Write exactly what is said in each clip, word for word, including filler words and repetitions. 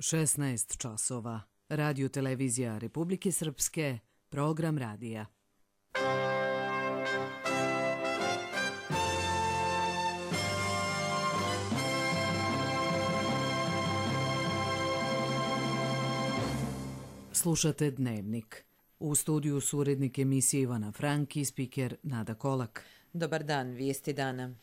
šesnaest časova. Radio televizija Republike Srpske, program radija. Slušate Dnevnik. U studiju su urednik emisije Ivana Frank i spiker Nada Kolak. Dobar dan, vijesti dana.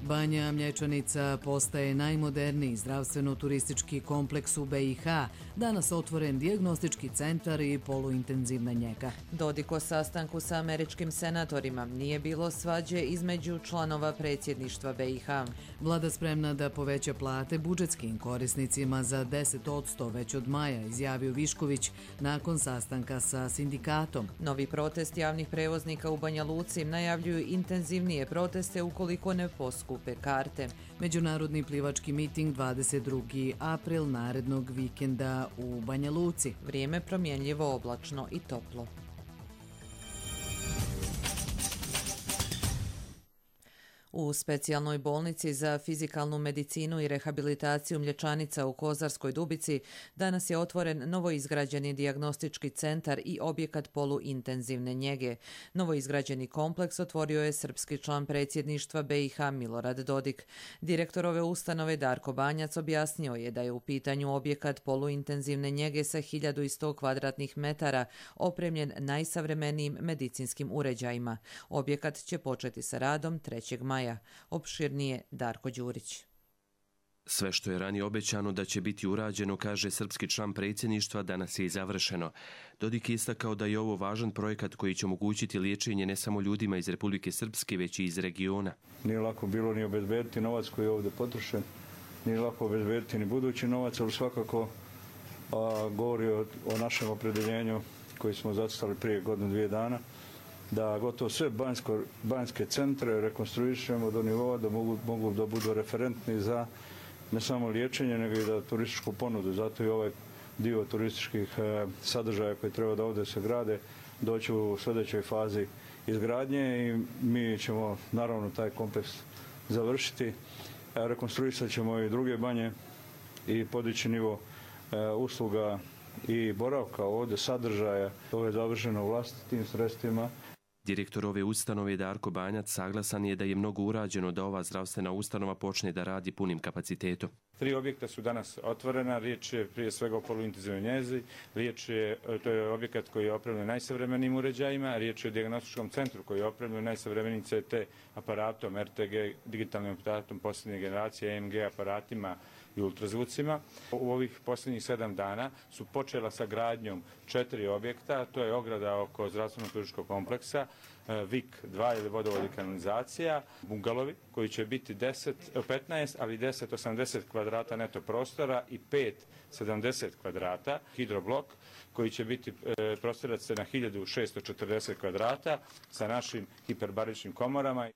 Banja Mlječanica postaje najmoderniji zdravstveno-turistički kompleks u B i H. Danas otvoren dijagnostički centar i poluintenzivna njega. Dodik o sastanku sa američkim senatorima. Nije bilo svađe između članova predsjedništva B i H. Vlada spremna da poveća plate budžetskim korisnicima za deset posto već od maja, izjavio Višković nakon sastanka sa sindikatom. Novi protest javnih prevoznika u Banja Luci najavljuju intenzivnije proteste ukoliko ne poskupe karte. Međunarodni plivački miting dvadeset drugi april narednog vikenda u Banja Luci. Vrijeme promjenljivo, oblačno i toplo. U specijalnoj bolnici za fizikalnu medicinu i rehabilitaciju Mlječanica u Kozarskoj Dubici danas je otvoren novoizgrađeni dijagnostički centar i objekat poluintenzivne njege. Novoizgrađeni kompleks otvorio je srpski član predsjedništva B i H Milorad Dodik. Direktor ove ustanove Darko Banjac objasnio je da je u pitanju objekat poluintenzivne njege sa hiljadu sto kvadratnih metara opremljen najsavremenijim medicinskim uređajima. Objekat će početi sa radom trećeg maja. Opširnije Darko Đurić. Sve što je ranije obećano da će biti urađeno, kaže srpski član predsjedništva, danas je i završeno. Dodik je istakao da je ovo važan projekat koji će omogućiti liječenje ne samo ljudima iz Republike Srpske, već i iz regiona. Nije lako bilo ni obezbediti novac koji je ovdje potrošen, nije lako obezbediti ni budući novac, ali svakako a, govori o, o našem opredjeljenju koji smo zacrtali prije godinu dvije dana, da gotovo sve banjsko, banjske centre rekonstruišemo do nivoa da mogu, mogu da budu referentni za ne samo liječenje, nego i da turističku ponudu. Zato i ovaj dio turističkih e, sadržaja koji treba da ovdje se grade doći u sljedećoj fazi izgradnje i mi ćemo naravno taj kompleks završiti. E, rekonstruisat ćemo i druge banje i podići nivo e, usluga i boravka ovdje, sadržaja. Ovo je završeno vlastitim sredstvima. Direktor ove ustanove Darko Banjac saglasan je da je mnogo urađeno da ova zdravstvena ustanova počne da radi punim kapacitetom. Tri objekta su danas otvorena, riječ je prije svega o poluintenzivnoj njezi, riječ je, to je objekat koji je opremljen najsavremenijim uređajima, riječ je o dijagnostičkom centru koji je opremljen najsavremenijim C T aparatom, R T G, digitalnim aparatom posljednje generacije, E M G aparatima i ultrazvucima. U ovih posljednjih sedam dana su počela sa gradnjom četiri objekta, to je ograda oko zdravstveno-turističkog kompleksa, V I K dva ili vodovod i kanalizacija, bungalovi koji će biti deset, petnaest, ali deset osamdeset kvadrata neto prostora i pet sedamdeset kvadrata, hidroblok koji će biti e, prostirat se na hiljadu šesto četrdeset kvadrata sa našim hiperbaričnim komorama.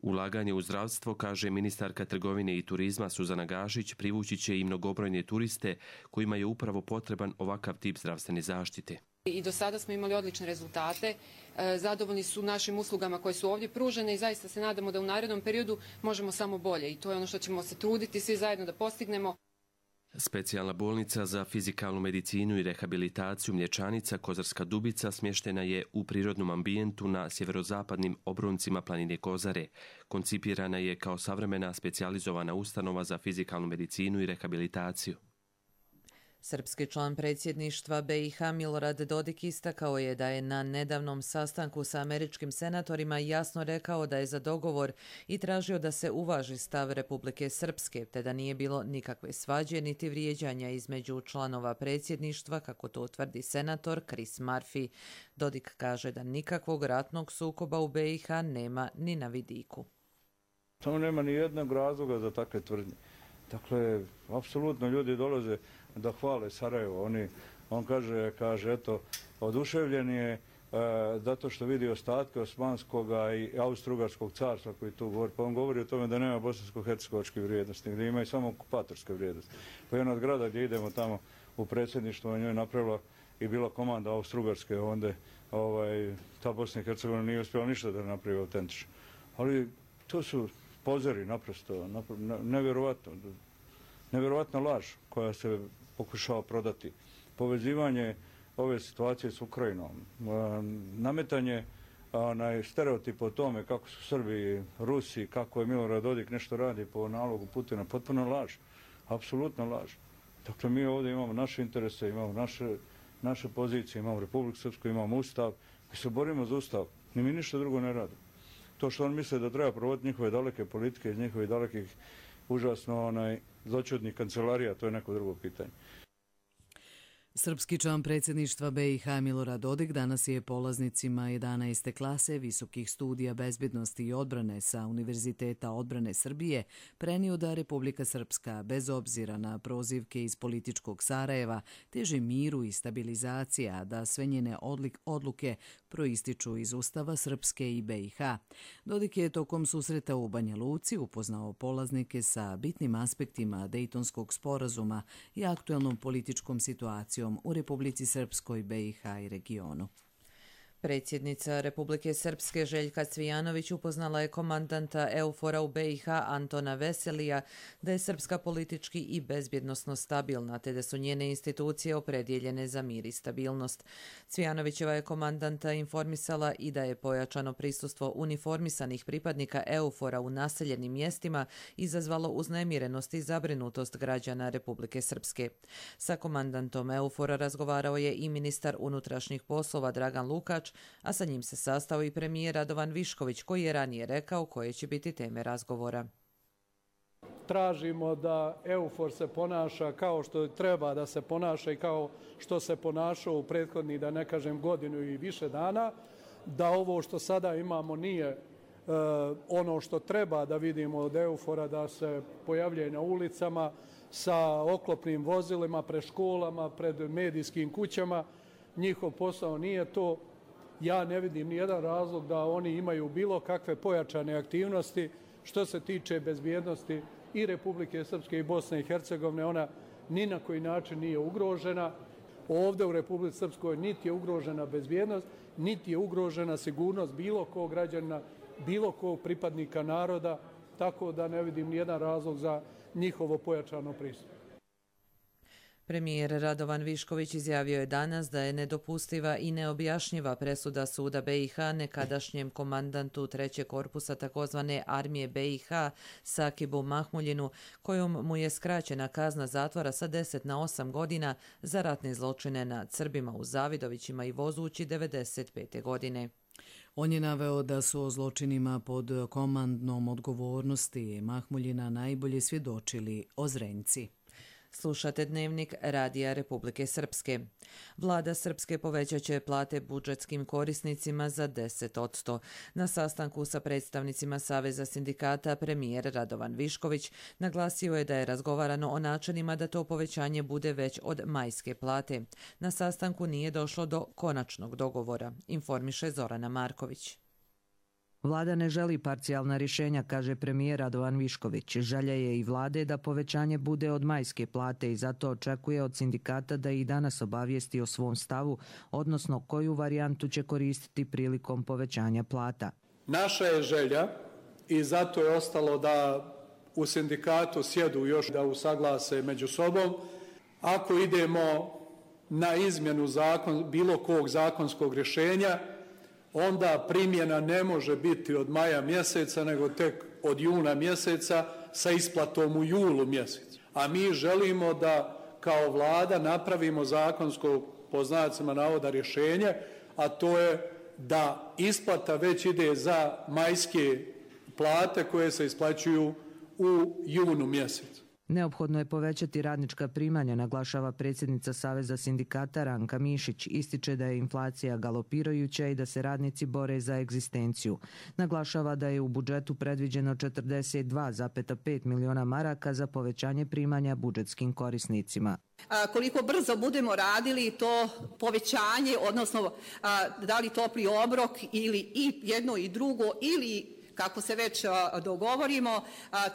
Ulaganje u zdravstvo, kaže ministarka trgovine i turizma Suzana Gašić, privući će i mnogobrojne turiste kojima je upravo potreban ovakav tip zdravstvene zaštite. I do sada smo imali odlične rezultate, zadovoljni su našim uslugama koje su ovdje pružene i zaista se nadamo da u narednom periodu možemo samo bolje i to je ono što ćemo se truditi svi zajedno da postignemo. Specijalna bolnica za fizikalnu medicinu i rehabilitaciju Mlječanica Kozarska Dubica smještena je u prirodnom ambijentu na sjeverozapadnim obroncima planine Kozare. Koncipirana je kao savremena specijalizovana ustanova za fizikalnu medicinu i rehabilitaciju. Srpski član predsjedništva B i H Milorad Dodik istakao je da je na nedavnom sastanku sa američkim senatorima jasno rekao da je za dogovor i tražio da se uvaži stav Republike Srpske, te da nije bilo nikakve svađe niti vrijeđanja između članova predsjedništva, kako to tvrdi senator Chris Murphy. Dodik kaže da nikakvog ratnog sukoba u B i H nema ni na vidiku. Samo nema ni jednog razloga za takve tvrdnje. Dakle, apsolutno ljudi dolaze da hvale Sarajevo. Oni, on kaže, kaže, eto, oduševljen je e, zato što vidi ostatke Osmanskog i Austro-Ugarskog carstva koji tu govori. Pa on govori o tome da nema bosansko-hercegovačke vrijednosti, gdje ima i samo okupatorske vrijednosti. Pa jedan od grada gdje idemo tamo u predsjedništvo, njoj je napravila i bila komanda Austro-Ugarske, onda ovaj, ta Bosna i Hercegovina nije uspjela ništa da napravi autentično. Ali to su pozori naprosto, nevjerovatno, nevjerovatna laž koja se pokušava prodati. Povezivanje ove situacije s Ukrajinom, nametanje onaj stereotip o tome kako su Srbi, Rusi, kako je Milorad Dodik nešto radi po nalogu Putina, potpuno laž, apsolutno laž. Dakle, mi ovdje imamo naše interese, imamo naše, naše pozicije, imamo Republiku Srpsku, imamo Ustav, mi se borimo za Ustav, ni mi ništa drugo ne radimo. To što on misle da treba provoditi njihove daleke politike iz njihovih dalekih užasno onaj, zloćudnih kancelarija, to je neko drugo pitanje. Srpski član predsjedništva B i H Milorad Dodik danas je polaznicima jedanaeste klase visokih studija bezbjednosti i odbrane sa Univerziteta odbrane Srbije prenio da Republika Srpska, bez obzira na prozivke iz političkog Sarajeva, teži miru i stabilizacija, da sve njene odluke proističu iz Ustava Srpske i B i H. Dodik je tokom susreta u Banja Luci upoznao polaznike sa bitnim aspektima Dejtonskog sporazuma i aktuelnom političkom situacijom u Republici Srpskoj, B i H i regionu. Predsjednica Republike Srpske Željka Cvijanović upoznala je komandanta EUFOR-a u B i H Antona Veselija da je Srpska politički i bezbjednosno stabilna, te da su njene institucije opredjeljene za mir i stabilnost. Cvijanovićeva je komandanta informisala i da je pojačano prisustvo uniformisanih pripadnika EUFOR-a u naseljenim mjestima izazvalo uznemirenost i zabrinutost građana Republike Srpske. Sa komandantom EUFOR-a razgovarao je i ministar unutrašnjih poslova Dragan Lukač, a sa njim se sastao i premijer Radovan Višković, koji je ranije rekao koje će biti teme razgovora. Tražimo da EUFOR se ponaša kao što treba da se ponaša i kao što se ponašao u prethodnih, da ne kažem, godinu i više dana, da ovo što sada imamo nije e, ono što treba da vidimo od EUFOR-a, da se pojavljuje na ulicama sa oklopnim vozilima, pred školama, pred medijskim kućama. Njihov posao nije to. Ja ne vidim nijedan razlog da oni imaju bilo kakve pojačane aktivnosti. Što se tiče bezbjednosti i Republike Srpske i Bosne i Hercegovine, ona ni na koji način nije ugrožena. Ovdje u Republici Srpskoj niti je ugrožena bezbjednost, niti je ugrožena sigurnost bilo kog građana, bilo kog pripadnika naroda, tako da ne vidim nijedan razlog za njihovo pojačano prisustvo. Premijer Radovan Višković izjavio je danas da je nedopustiva i neobjašnjiva presuda suda B i H nekadašnjem komandantu trećeg korpusa takozvane armije B i H Sakibu Mahmuljinu, kojom mu je skraćena kazna zatvora sa deset na osam godina za ratne zločine nad Srbima u Zavidovićima i Vozući devedeset pete godine. On je naveo da su o zločinima pod komandnom odgovornosti Mahmuljina najbolje svjedočili Ozrenjci. Slušate Dnevnik Radija Republike Srpske. Vlada Srpske povećat će plate budžetskim korisnicima za deset posto. Na sastanku sa predstavnicima Saveza sindikata premijer Radovan Višković naglasio je da je razgovarano o načinima da to povećanje bude već od majske plate. Na sastanku nije došlo do konačnog dogovora, informiše Zorana Marković. Vlada ne želi parcijalna rješenja, kaže premijer Radovan Višković. Želja je i vlade da povećanje bude od majske plate i zato očekuje od sindikata da i danas obavijesti o svom stavu, odnosno koju varijantu će koristiti prilikom povećanja plata. Naša je želja i zato je ostalo da u sindikatu sjedu još da usaglase među sobom. Ako idemo na izmjenu zakon, bilo kog zakonskog rješenja, onda primjena ne može biti od maja mjeseca, nego tek od juna mjeseca sa isplatom u julu mjesecu. A mi želimo da kao vlada napravimo zakonsko, po znacima navoda, rješenje, a to je da isplata već ide za majske plate koje se isplaćuju u junu mjesecu. Neophodno je povećati radnička primanja, naglašava predsjednica Saveza sindikata Ranka Mišić. Ističe da je inflacija galopirajuća i da se radnici bore za egzistenciju. Naglašava da je u budžetu predviđeno četrdeset dva zarez pet miliona maraka za povećanje primanja budžetskim korisnicima. A, koliko brzo budemo radili to povećanje, odnosno a, da li topli obrok ili i jedno i drugo ili kako se već dogovorimo,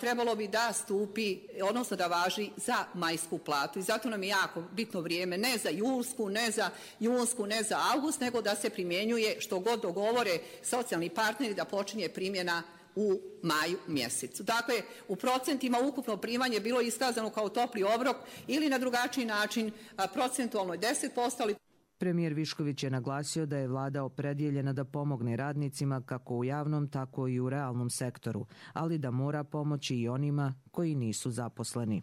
trebalo bi da stupi, odnosno da važi za majsku platu. I zato nam je jako bitno vrijeme, ne za julsku, ne za junsku, ne za avgust, nego da se primjenjuje što god dogovore socijalni partneri, da počinje primjena u maju mjesecu. Dakle, u procentima ukupno primanje je bilo iskazano kao topli obrok ili na drugačiji način procentualno je deset posto, ali Premijer Višković je naglasio da je vlada opredjeljena da pomogne radnicima kako u javnom, tako i u realnom sektoru, ali da mora pomoći i onima koji nisu zaposleni.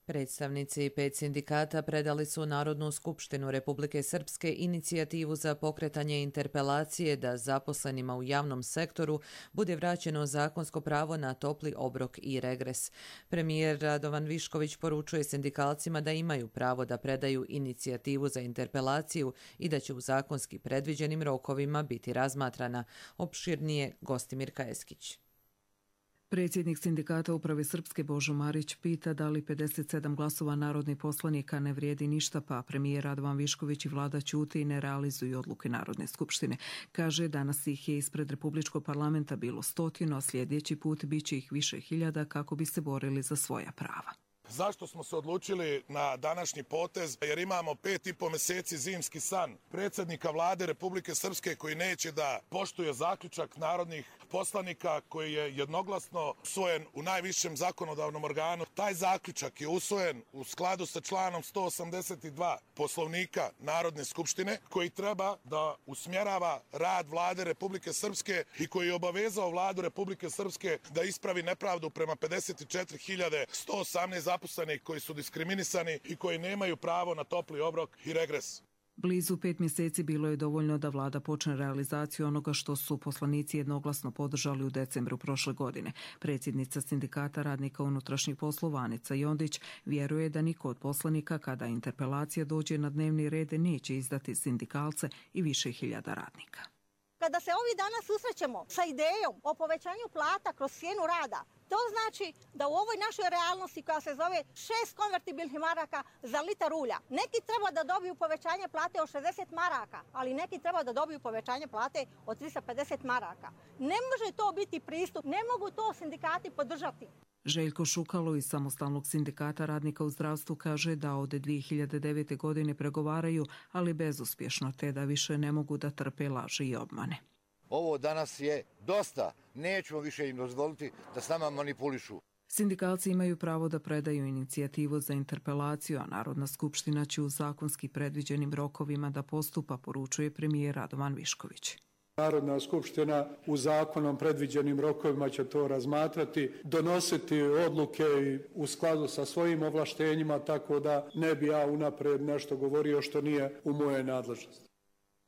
Predstavnici pet sindikata predali su Narodnu skupštinu Republike Srpske inicijativu za pokretanje interpelacije da zaposlenima u javnom sektoru bude vraćeno zakonsko pravo na topli obrok i regres. Premijer Radovan Višković poručuje sindikalcima da imaju pravo da predaju inicijativu za interpelaciju i da će u zakonski predviđenim rokovima biti razmatrana. Opširnije Gostimir Kajeskić. Predsjednik sindikata Uprave Srpske Božo Marić pita da li pedeset sedam glasova narodnih poslanika ne vrijedi ništa, pa premijer Radovan Višković i vlada ćute i ne realizuju odluke Narodne skupštine. Kaže, danas ih je ispred Republičkog parlamenta bilo stotinu, a sljedeći put bit će ih više hiljada kako bi se borili za svoja prava. Zašto smo se odlučili na današnji potez? Jer imamo pet i po mjeseci zimski san predsjednika vlade Republike Srpske koji neće da poštuje zaključak narodnih poslanika koji je jednoglasno usvojen u najvišem zakonodavnom organu. Taj zaključak je usvojen u skladu sa članom sto osamdeset dva Poslovnika Narodne skupštine koji treba da usmjerava rad vlade Republike Srpske i koji je obavezao vladu Republike Srpske da ispravi nepravdu prema pedeset četiri hiljade sto osamnaest zaposlenih koji su diskriminisani i koji nemaju pravo na topli obrok i regres. Blizu pet mjeseci bilo je dovoljno da vlada počne realizaciju onoga što su poslanici jednoglasno podržali u decembru prošle godine. Predsjednica sindikata radnika unutrašnjih poslova Anica Jondić vjeruje da niko od poslanika kada interpelacija dođe na dnevni red neće izdati sindikalce i više hiljada radnika. Kada se ovih dana susrećemo sa idejom o povećanju plata kroz cijenu rada, to znači da u ovoj našoj realnosti koja se zove šest konvertibilnih maraka za litar ulja, neki treba da dobiju povećanje plate od šezdeset maraka, ali neki treba da dobiju povećanje plate od tristo pedeset maraka. Ne može to biti pristup, ne mogu to sindikati podržati. Željko Šukalo iz Samostalnog sindikata radnika u zdravstvu kaže da od dvije hiljade devete. godine pregovaraju, ali bezuspješno, te da više ne mogu da trpe laži i obmane. Ovo danas je dosta. Nećemo više im dozvoliti da s nama manipulišu. Sindikalci imaju pravo da predaju inicijativu za interpelaciju, a Narodna skupština će u zakonski predviđenim rokovima da postupa, poručuje premijer Radovan Višković. Narodna skupština u zakonom predviđenim rokovima će to razmatrati, donositi odluke u skladu sa svojim ovlaštenjima, tako da ne bi ja unapred nešto govorio što nije u moje nadležnosti.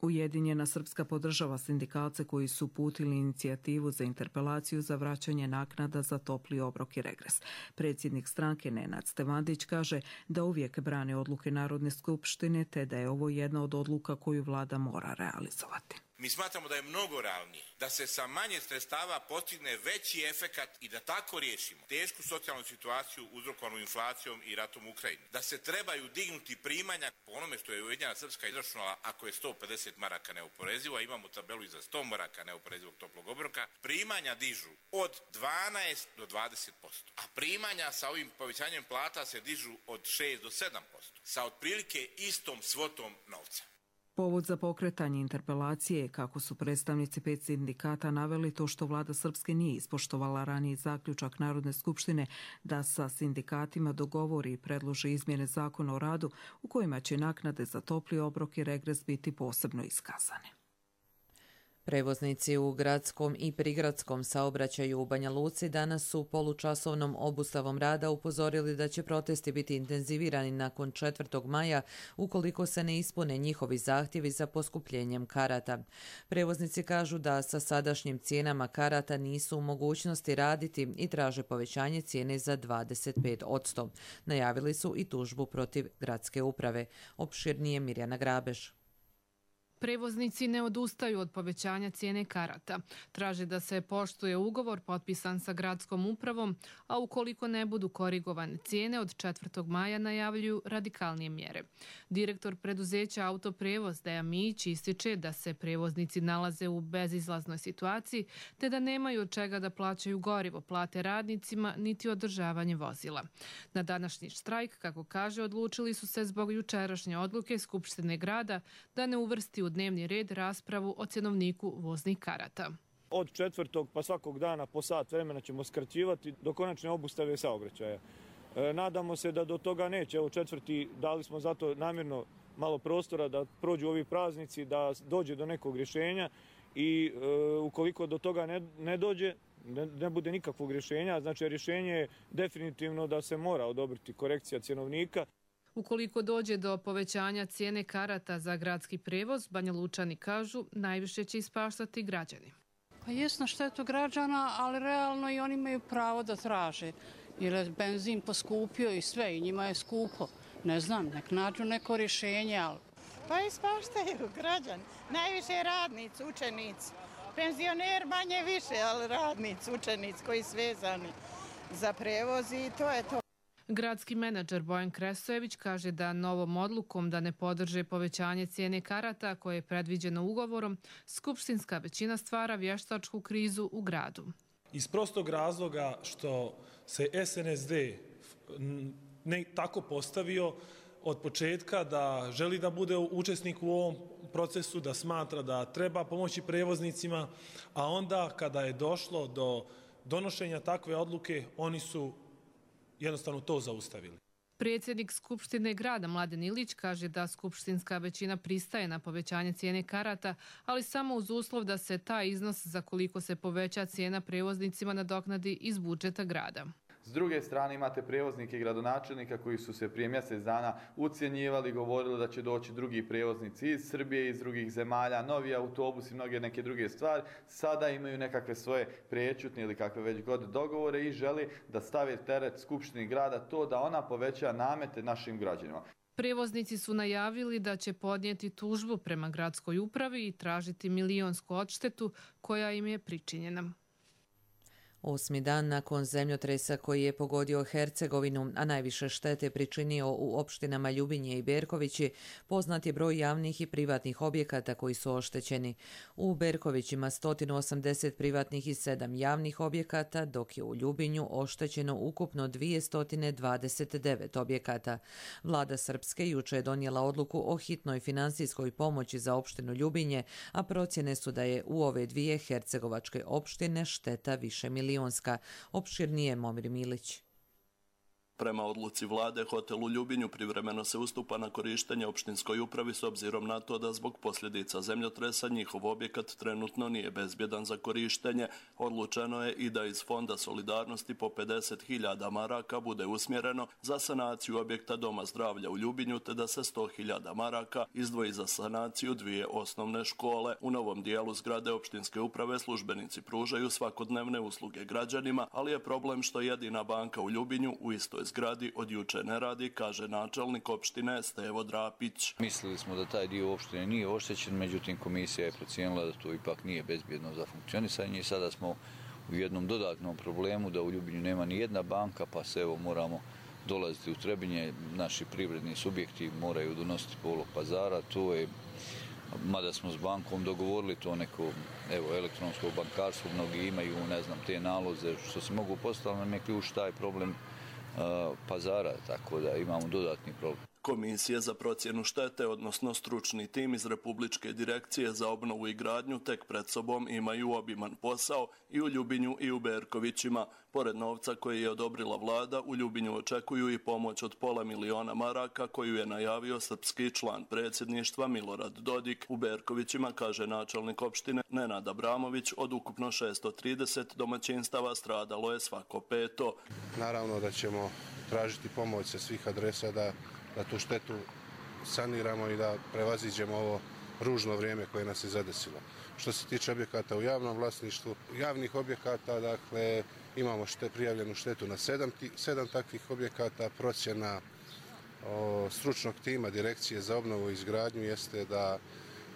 Ujedinjena Srpska podržava sindikalce koji su uputili inicijativu za interpelaciju za vraćanje naknada za topli obrok i regres. Predsjednik stranke Nenad Stevandić kaže da uvijek brane odluke Narodne skupštine, te da je ovo jedna od odluka koju vlada mora realizovati. Mi smatramo da je mnogo realnije da se sa manje sredstava postigne veći efekat i da tako riješimo tešku socijalnu situaciju uzrokovanu inflacijom i ratom u Ukrajini. Da se trebaju dignuti primanja po onome što je Ujedinjena Srpska izračunala, ako je sto pedeset maraka neoporezivo, a imamo tabelu i za sto maraka neoporezivog toplog obroka, primanja dižu od dvanaest do dvadeset posto. A primanja sa ovim povećanjem plata se dižu od šest do sedam posto. Sa otprilike istom svotom novca. Povod za pokretanje interpelacije je, kako su predstavnici pet sindikata naveli, to što vlada Srpske nije ispoštovala raniji zaključak Narodne skupštine da sa sindikatima dogovori i predloži izmjene zakona o radu u kojima će naknade za topli obrok i regres biti posebno iskazane. Prevoznici u gradskom i prigradskom saobraćaju u Banja Luci danas su polučasovnom obustavom rada upozorili da će protesti biti intenzivirani nakon četvrtog maja ukoliko se ne ispune njihovi zahtjevi za poskupljenjem karata. Prevoznici kažu da sa sadašnjim cijenama karata nisu u mogućnosti raditi i traže povećanje cijene za dvadeset pet posto. Najavili su i tužbu protiv gradske uprave. Opširnije Mirjana Grabež. Prevoznici ne odustaju od povećanja cijene karata. Traže da se poštuje ugovor potpisan sa gradskom upravom, a ukoliko ne budu korigovane cijene, od četvrtog maja najavljuju radikalnije mjere. Direktor preduzeća Autoprevoz Deja Mijić ističe da se prevoznici nalaze u bezizlaznoj situaciji, te da nemaju od čega da plaćaju gorivo, plate radnicima, niti održavanje vozila. Na današnji štrajk, kako kaže, odlučili su se zbog jučerašnje odluke Skupštine grada da ne uvrsti u dnevni red raspravu o cjenovniku voznih karata. Od četvrtog pa svakog dana po sat vremena ćemo skraćivati do konačne obustave saobraćaja. E, nadamo se da do toga neće. Evo četvrti, dali smo zato namjerno malo prostora da prođu ovi praznici, da dođe do nekog rješenja i e, ukoliko do toga ne, ne dođe, ne, ne bude nikakvog rješenja, znači rješenje je definitivno da se mora odobriti korekcija cjenovnika. Ukoliko dođe do povećanja cijene karata za gradski prevoz, Banjalučani kažu, najviše će ispaštati građani. Pa jest na štetu građana, ali realno i oni imaju pravo da traže, jer je benzin poskupio i sve, i njima je skupo. Ne znam, nek nađu neko rješenje, ali... Pa ispaštaju građani, najviše radnici, učenici. Penzioner manje više, ali radnici, učenici koji su vezani za prevoz i to je to. Gradski menadžer Bojan Kresojević kaže da novom odlukom da ne podrže povećanje cijene karata koje je predviđeno ugovorom, skupštinska većina stvara vještačku krizu u gradu. Iz prostog razloga što se S N S D ne tako postavio od početka da želi da bude učesnik u ovom procesu, da smatra da treba pomoći prevoznicima, a onda kada je došlo do donošenja takve odluke, oni su jednostavno to zaustavili. Predsjednik Skupštine grada Mladen Ilić kaže da skupštinska većina pristaje na povećanje cijene karata, ali samo uz uslov da se taj iznos za koliko se poveća cijena prevoznicima nadoknadi iz budžeta grada. S druge strane imate prevoznike i gradonačelnika koji su se prije mjesec dana ucjenjivali, govorili da će doći drugi prevoznici iz Srbije, iz drugih zemalja, novi autobusi, mnoge neke druge stvari. Sada imaju nekakve svoje prečutne ili kakve već god dogovore i želi da stave teret Skupštini grada to da ona poveća namete našim građanima. Prevoznici su najavili da će podnijeti tužbu prema gradskoj upravi i tražiti milionsku odštetu koja im je pričinjena. Osmi dan nakon zemljotresa koji je pogodio Hercegovinu, a najviše štete pričinio u opštinama Ljubinje i Berkovići, poznat je broj javnih i privatnih objekata koji su oštećeni. U Berkovićima sto osamdeset privatnih i sedam javnih objekata, dok je u Ljubinju oštećeno ukupno dvjesto dvadeset devet objekata. Vlada Srpske juče je donijela odluku o hitnoj finansijskoj pomoći za opštinu Ljubinje, a procjene su da je u ove dvije hercegovačke opštine šteta više milijonska. Opširnije Momir Milić. Prema odluci vlade, hotel u Ljubinju privremeno se ustupa na korištenje opštinskoj upravi s obzirom na to da zbog posljedica zemljotresa njihov objekat trenutno nije bezbjedan za korištenje. Odlučeno je i da iz Fonda solidarnosti po pedeset hiljada maraka bude usmjereno za sanaciju objekta Doma zdravlja u Ljubinju, te da se sto hiljada maraka izdvoji za sanaciju dvije osnovne škole. U novom dijelu zgrade opštinske uprave službenici pružaju svakodnevne usluge građanima, ali je problem što jedina banka u Ljubinju u istoj zgradi od juče ne radi, kaže načelnik opštine Stevo Drapić. Mislili smo da taj dio opštine nije oštećen, međutim komisija je procijenila da to ipak nije bezbjedno za funkcionisanje i sada smo u jednom dodatnom problemu da u Ljubinju nema ni jedna banka, pa se evo moramo dolaziti u Trebinje, naši privredni subjekti moraju donositi polog pazara, to je, mada smo s bankom dogovorili to neko evo, elektronsko bankarstvo, mnogi imaju, ne znam, te naloze što se mogu postaviti, nam je ključ taj problem pazara, tako da imamo dodatni problem. Komisije za procjenu štete, odnosno stručni tim iz Republičke direkcije za obnovu i gradnju tek pred sobom imaju obiman posao i u Ljubinju i u Berkovićima. Pored novca koji je odobrila vlada, u Ljubinju očekuju i pomoć od pola miliona maraka koju je najavio srpski član predsjedništva Milorad Dodik. U Berkovićima, kaže načelnik opštine Nenad Abramović, od ukupno šessto trideset domaćinstava stradalo je svako peto. Naravno da ćemo tražiti pomoć sa svih adresa da da tu štetu saniramo i da prevaziđemo ovo ružno vrijeme koje nas je zadesilo. Što se tiče objekata u javnom vlasništvu, javnih objekata, dakle, imamo šte, prijavljenu štetu na sedam, sedam takvih objekata. Procjena o, stručnog tima Direkcije za obnovu i izgradnju jeste da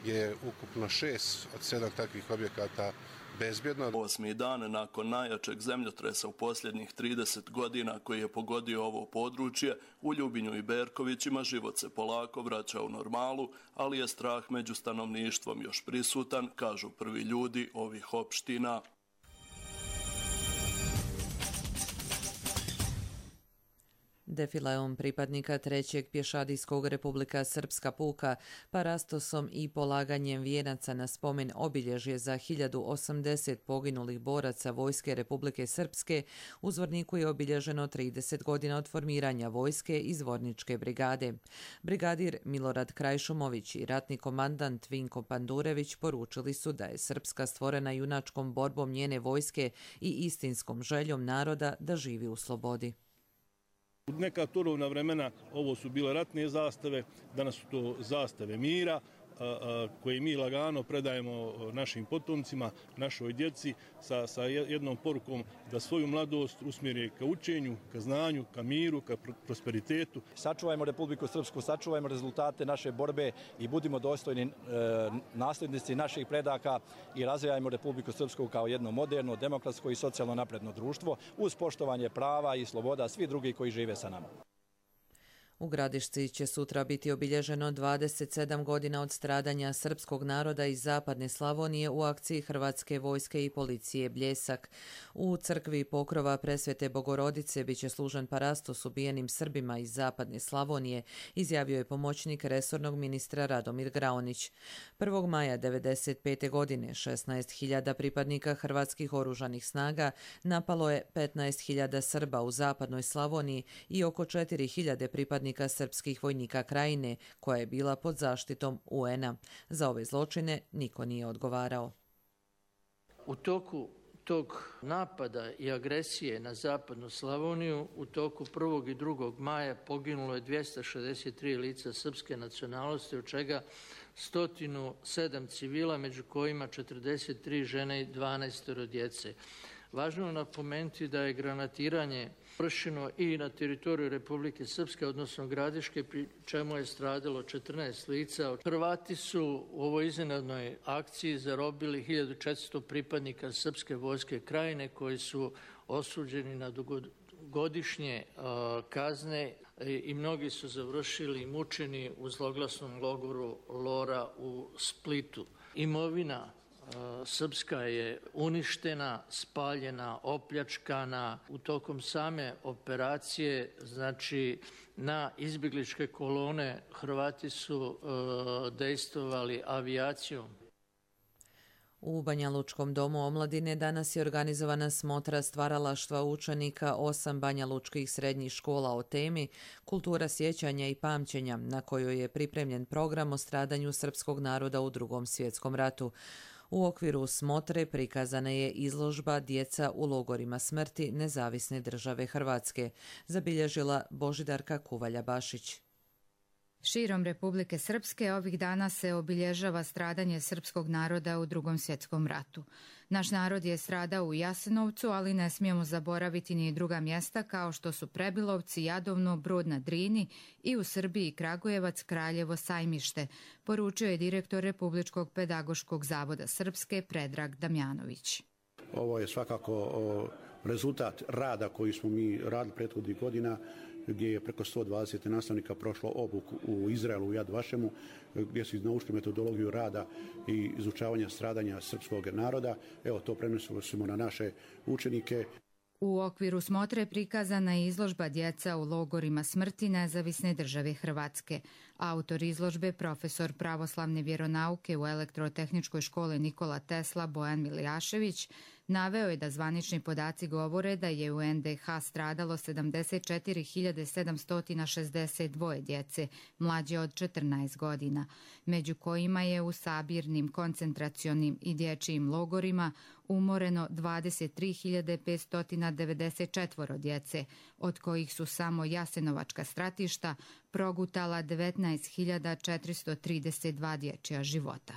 je ukupno šest od sedam takvih objekata bezbjedno. Osmi dan nakon najjačeg zemljotresa u posljednjih trideset godina koji je pogodio ovo područje, u Ljubinju i Berkovićima život se polako vraća u normalu, ali je strah među stanovništvom još prisutan, kažu prvi ljudi ovih opština. Defileom pripadnika trećeg pješadijskog Republika Srpska puka, parastosom i polaganjem vijenaca na spomen obilježje za hiljadu osamdeset poginulih boraca Vojske Republike Srpske, u Zvorniku je obilježeno trideset godina od formiranja vojske i Zvorničke brigade. Brigadir Milorad Krajšumović i ratni komandant Vinko Pandurević poručili su da je Srpska stvorena junačkom borbom njene vojske i istinskom željom naroda da živi u slobodi. U neka turovna vremena ovo su bile ratne zastave, danas su to zastave mira koje mi lagano predajemo našim potomcima, našoj djeci sa, sa jednom porukom da svoju mladost usmjeri ka učenju, ka znanju, ka miru, ka prosperitetu. Sačuvajmo Republiku Srpsku, sačuvajmo rezultate naše borbe i budimo dostojni e, nasljednici naših predaka i razvijajmo Republiku Srpsku kao jedno moderno, demokratsko i socijalno napredno društvo uz poštovanje prava i sloboda svih drugih koji žive sa nama. U Gradišci će sutra biti obilježeno dvadeset sedam godina od stradanja srpskog naroda iz zapadne Slavonije u akciji Hrvatske vojske i policije Bljesak. U crkvi Pokrova Presvete Bogorodice biće služen parastos ubijenim Srbima iz zapadne Slavonije, izjavio je pomoćnik resornog ministra Radomir Graonić. prvog maja devedeset pete godine šesnaest hiljada pripadnika hrvatskih oružanih snaga napalo je petnaest hiljada Srba u zapadnoj Slavoniji i oko četiri hiljade pripadnika srpskih vojnika Krajine, koja je bila pod zaštitom U N-a. Za ove zločine niko nije odgovarao. U toku tog napada i agresije na zapadnu Slavoniju u toku prvog i drugog maja poginulo je dvjesto šezdeset tri lica srpske nacionalnosti, od čega sto sedam civila, među kojima četrdeset tri žene i dvanaest djece. Važno je napomenuti da je granatiranje vršeno i na teritoriju Republike Srpske, odnosno Gradiške, pri čemu je stradalo četrnaest lica. Hrvati su u ovoj iznenadnoj akciji zarobili hiljadu četiristo pripadnika Srpske vojske Krajine koji su osuđeni na dugogodišnje kazne i mnogi su završili mučeni u zloglasnom logoru Lora u Splitu. Imovina srpska je uništena, spaljena, opljačkana. U tokom same operacije, znači na izbjegličke kolone, Hrvati su e, dejstvovali avijacijom. U Banja Lučkom domu omladine danas je organizovana smotra stvaralaštva učenika osam Banja Lučkih srednjih škola o temi Kultura sjećanja i pamćenja, na kojoj je pripremljen program o stradanju srpskog naroda u Drugom svjetskom ratu. U okviru smotre prikazana je izložba Djeca u logorima smrti Nezavisne države Hrvatske, zabilježila Božidarka Kuvalja-Bašić. Širom Republike Srpske ovih dana se obilježava stradanje srpskog naroda u Drugom svjetskom ratu. Naš narod je stradao u Jasenovcu, ali ne smijemo zaboraviti ni druga mjesta kao što su Prebilovci, Jadovno, Brod na Drini i u Srbiji Kragujevac, Kraljevo, Sajmište, poručio je direktor Republičkog pedagoškog zavoda Srpske Predrag Damjanović. Ovo je svakako rezultat rada koji smo mi radili prethodnih godina, gdje je preko sto dvadeset nastavnika prošlo obuku u Izraelu, u Jad Vašemu, gdje su naučili metodologiju rada i izučavanja stradanja srpskog naroda. Evo, to prenosimo na naše učenike. U okviru smotre prikazana je izložba Djeca u logorima smrti Nezavisne države Hrvatske. Autor izložbe, profesor pravoslavne vjeronauke u Elektrotehničkoj školi Nikola Tesla Bojan Milijašević, naveo je da zvanični podaci govore da je u en de ha stradalo sedamdeset četiri hiljade sedamsto šezdeset dva djece mlađe od četrnaest godina, među kojima je u sabirnim, koncentracionim i dječjim logorima umoreno dvadeset tri hiljade petsto devedeset četiri djece, od kojih su samo jasenovačka stratišta progutala devetnaest hiljada četiristo trideset dva dječja života.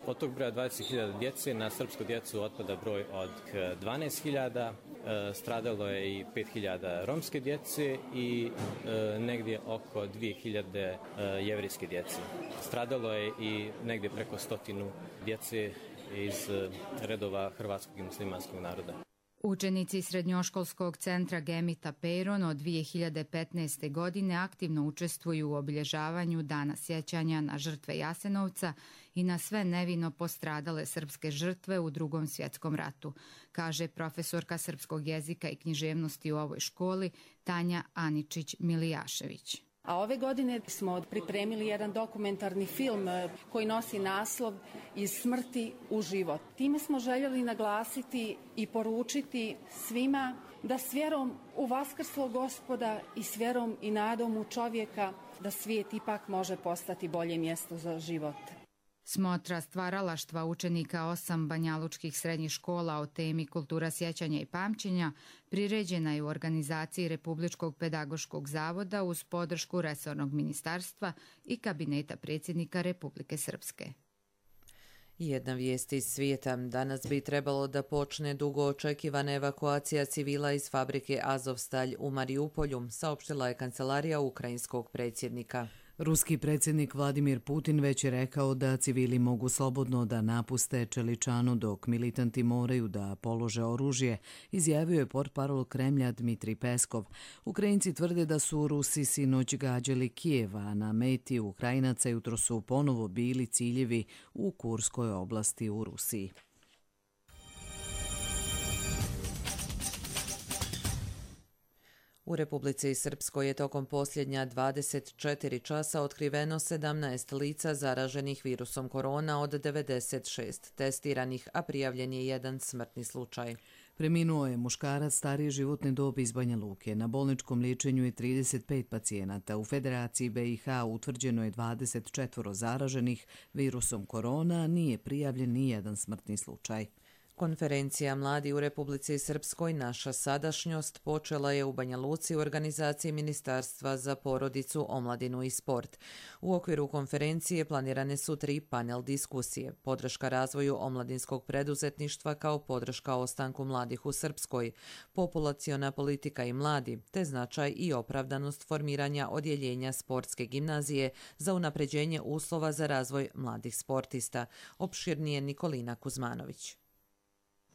Od tog broja dvadeset hiljada djece na srpsku djecu otpada broj od dvanaest hiljada, stradalo je i pet hiljada romske djece i negdje oko dvije hiljade jevrijske djece. Stradalo je i negdje preko stotinu djece iz redova hrvatskog i muslimanskog naroda. Učenici srednjoškolskog centra Gemita Peron od dvije hiljade petnaeste. godine aktivno učestvuju u obilježavanju Dana sjećanja na žrtve Jasenovca i na sve nevino postradale srpske žrtve u Drugom svjetskom ratu, kaže profesorka srpskog jezika i književnosti u ovoj školi Tanja Aničić-Milijašević. A ove godine smo pripremili jedan dokumentarni film koji nosi naslov Iz smrti u život. Time smo željeli naglasiti i poručiti svima da s vjerom u vaskrslog Gospoda i s vjerom i nadom u čovjeka da svijet ipak može postati bolje mjesto za život. Smotra stvaralaštva učenika osam banjalučkih srednjih škola o temi kultura sjećanja i pamćenja priređena je u organizaciji Republičkog pedagoškog zavoda uz podršku resornog ministarstva i kabineta predsjednika Republike Srpske. Jedna vijest iz svijeta. Danas bi trebalo da počne dugo očekivana evakuacija civila iz fabrike Azovstalj u Mariupolju, saopštila je kancelarija ukrajinskog predsjednika. Ruski predsjednik Vladimir Putin već je rekao da civili mogu slobodno da napuste Čeličanu dok militanti moraju da polože oružje, izjavio je portparol Kremlja Dmitrij Peskov. Ukrajinci tvrde da su Rusi sinoć gađali Kijeva, a na meti Ukrajinaca jutro su ponovo bili ciljevi u Kurskoj oblasti u Rusiji. U Republici Srpskoj je tokom posljednja dvadeset četiri časa otkriveno sedamnaest lica zaraženih virusom korona od devedeset šest testiranih, a prijavljen je jedan smrtni slučaj. Preminuo je muškarac starije životne dobi iz Banja Luke. Na bolničkom liječenju je trideset pet pacijenata. U Federaciji B i H utvrđeno je dvadeset četiri zaraženih virusom korona, nije prijavljen ni jedan smrtni slučaj. Konferencija Mladi u Republici Srpskoj Naša sadašnjost počela je u Banja Luci u organizaciji Ministarstva za porodicu, omladinu i sport. U okviru konferencije planirane su tri panel diskusije: podrška razvoju omladinskog preduzetništva kao podrška ostanku mladih u Srpskoj, populaciona politika i mladi, te značaj i opravdanost formiranja odjeljenja sportske gimnazije za unapređenje uslova za razvoj mladih sportista. Opširnije Nikolina Kuzmanović.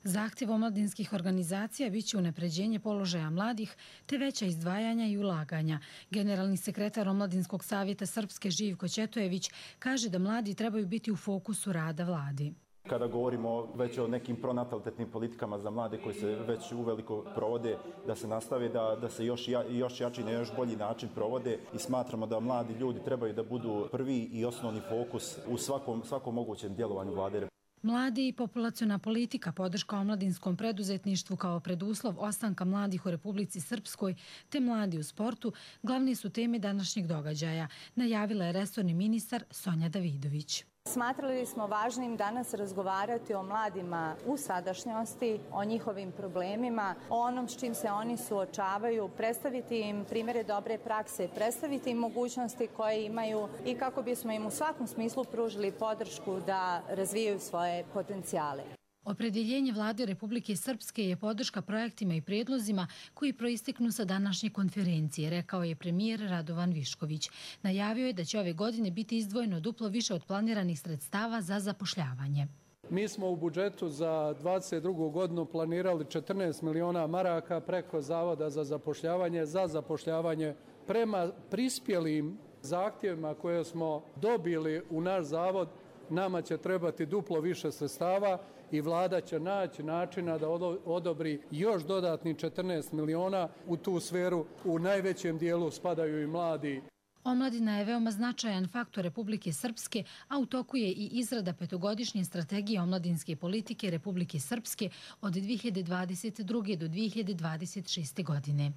Zahtjev omladinskih organizacija biće unapređenje položaja mladih te veća izdvajanja i ulaganja. Generalni sekretar Omladinskog savjeta Srpske Živko Ćetojević kaže da mladi trebaju biti u fokusu rada vladi. Kada govorimo već o nekim pronatalitetnim politikama za mlade koji se već uveliko provode, da se nastave, da, da se još, ja, još jači na još bolji način provode i smatramo da mladi ljudi trebaju da budu prvi i osnovni fokus u svakom, svakom mogućem djelovanju vlade. Mladi i populaciona politika, podrška omladinskom preduzetništvu kao preduslov ostanka mladih u Republici Srpskoj te mladi u sportu glavne su teme današnjeg događaja, najavila je resorni ministar Sonja Davidović. Smatrali smo važnim danas razgovarati o mladima u sadašnjosti, o njihovim problemima, o onom s čim se oni suočavaju, predstaviti im primjere dobre prakse, predstaviti im mogućnosti koje imaju i kako bismo im u svakom smislu pružili podršku da razvijaju svoje potencijale. Opredjeljenje vlade Republike Srpske je podrška projektima i prijedlozima koji proisteknu sa današnje konferencije, rekao je premijer Radovan Višković. Najavio je da će ove godine biti izdvojeno duplo više od planiranih sredstava za zapošljavanje. Mi smo u budžetu za dvadeset drugu godinu planirali četrnaest miliona maraka preko Zavoda za zapošljavanje, za zapošljavanje prema prispjelim zahtjevima koje smo dobili u naš zavod. Nama će trebati duplo više sredstava i vlada će naći načina da odobri još dodatni četrnaest miliona u tu sferu. U najvećem dijelu spadaju i mladi. Omladina je veoma značajan faktor Republike Srpske, a u toku je i izrada petogodišnje strategije omladinske politike Republike Srpske od dvije hiljade dvadeset druge do dvije hiljade dvadeset šeste. godine.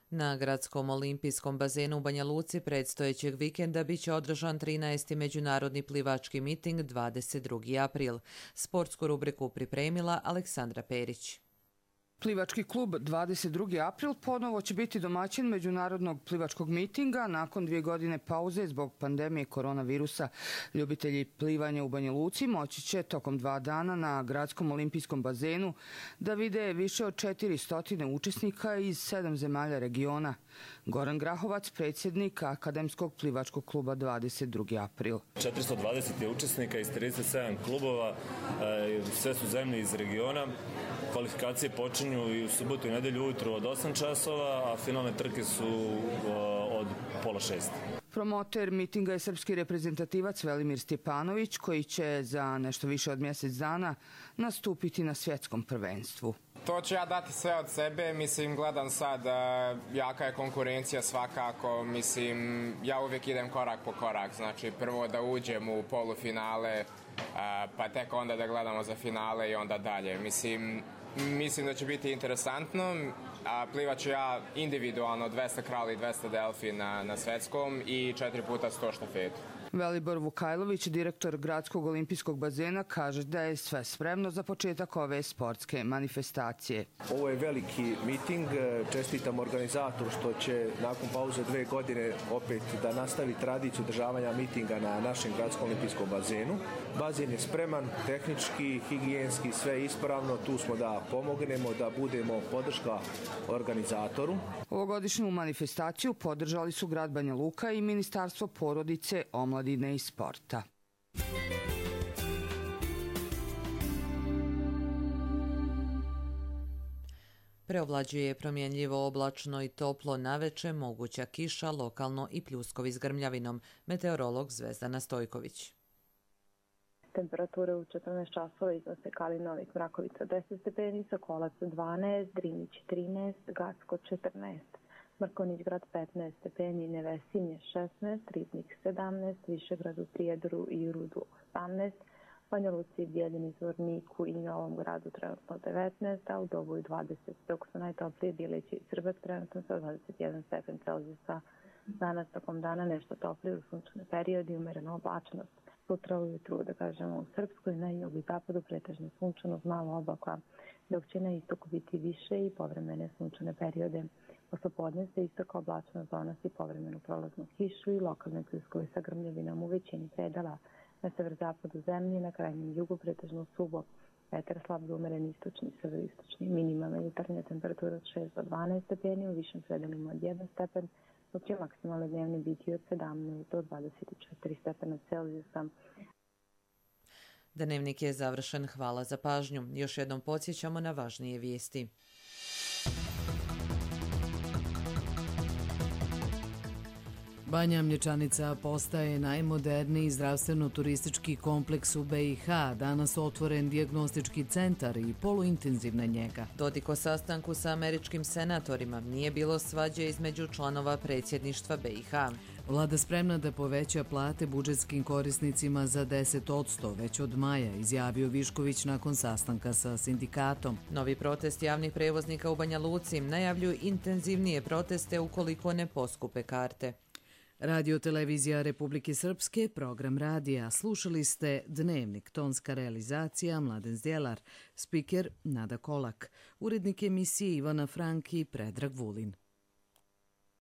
Na gradskom olimpijskom bazenu u Banja Luci predstojećeg vikenda biće održan trinaesti međunarodni plivački miting dvadeset drugi april. Sportsku rubriku pripremila Aleksandra Perić. Plivački klub dvadeset drugi april ponovo će biti domaćin međunarodnog plivačkog mitinga nakon dvije godine pauze zbog pandemije koronavirusa. Ljubitelji plivanja u Banja Luci moći će tokom dva dana na gradskom olimpijskom bazenu da vide više od četiristo učesnika iz sedam zemalja regiona. Goran Grahovac, predsjednik Akademskog plivačkog kluba dvadeset drugi april. četiristo dvadeset je učesnika iz trideset sedam klubova, sve su zemlje iz regiona. Kvalifikacije počinju i u subotu i nedelju ujutru od osam časova, a finalne trke su od pola šest. Promoter mitinga je srpski reprezentativac Velimir Stjepanović, koji će za nešto više od mjesec dana nastupiti na svjetskom prvenstvu. To ću ja dati sve od sebe, mislim, gledam sad, jaka je konkurencija svakako, mislim, ja uvijek idem korak po korak, znači prvo da uđem u polufinale, pa tek onda da gledamo za finale i onda dalje. Mislim, mislim da će biti interesantno, a plivat ću ja individualno dvesta krali i dvesta delfi na, na svetskom i četiri puta sto štafetu. Velibor Vukajlović, direktor Gradskog olimpijskog bazena, kaže da je sve spremno za početak ove sportske manifestacije. Ovo je veliki miting, čestitam organizatoru što će nakon pauze dve godine opet da nastavi tradiciju održavanja mitinga na našem Gradskom olimpijskom bazenu. Bazen je spreman, tehnički, higijenski, sve ispravno, tu smo da pomognemo, da budemo podrška organizatoru. Ovogodišnju manifestaciju podržali su grad Banja Luka i Ministarstvo porodice, omladine i sporta. Preovlađuje promjenljivo oblačno i toplo naveče, moguća kiša, lokalno i pljuskovi s grmljavinom. Meteorolog Zvezdana Stojković. Temperature u četrnaest časova iznose Kalinovik, Mrakovica deset stepeni, Sokolac dvanaest, Drinić trinaest, Gacko četrnaest, Mrkonjić grad petnaest stepeni, Nevesinje šesnaest, Ribnik sedamnaest, Višegrad u Prijedoru i Rudu osamnaest, Banja Luci, Bijeljini, Zvorniku i Novom gradu trenutno devetnaest, a u Doboju dvadeset, dok su najtoplije Bileći i Srbac trenutno sa dvadeset jedan stepen Celzijusa. Danas tokom dana nešto toplije u sunčane periodi i umerena oblačnost. Sutra ujutru, da kažemo, u Srpskoj, na jugu i zapadu pretežno sunčano, malo oblaka, dok će na istoku biti više i povremene sunčane periode. Poslepodne se istoka oblačnost donosi povremenu prolaznu kišu i lokalne pljuskove sa grmljavinom u većini predela. Na severozapadu zemlje, na krajnjem jugu pretežno suvo. Vetar slab do umeren istočni, severoistočni. Minimalna jutarnja temperatura od šest do dvanaest stepeni, u višim predelima od jedan stepen, dok će maksimalne dnevne biti od sedamnaest do dvadeset četiri stepena Celzijusa. Dnevnik je završen. Hvala za pažnju. Još jednom podsjećamo na važnije vijesti. Banja Mlječanica postaje najmoderniji zdravstveno-turistički kompleks u B i H. Danas otvoren dijagnostički centar i poluintenzivna njega. Dodik o sastanku sa američkim senatorima. Nije bilo svađe između članova predsjedništva B i H. Vlada spremna da poveća plate budžetskim korisnicima za deset odsto već od maja, izjavio Višković nakon sastanka sa sindikatom. Novi protest javnih prevoznika u Banja Luci najavljuju intenzivnije proteste ukoliko ne poskupe karte. Radio televizija Republike Srpske, program radija. Slušali ste Dnevnik, tonska realizacija Mladen Zdjelar, spiker Nada Kolak, urednik emisije Ivana Franki, Predrag Vulin.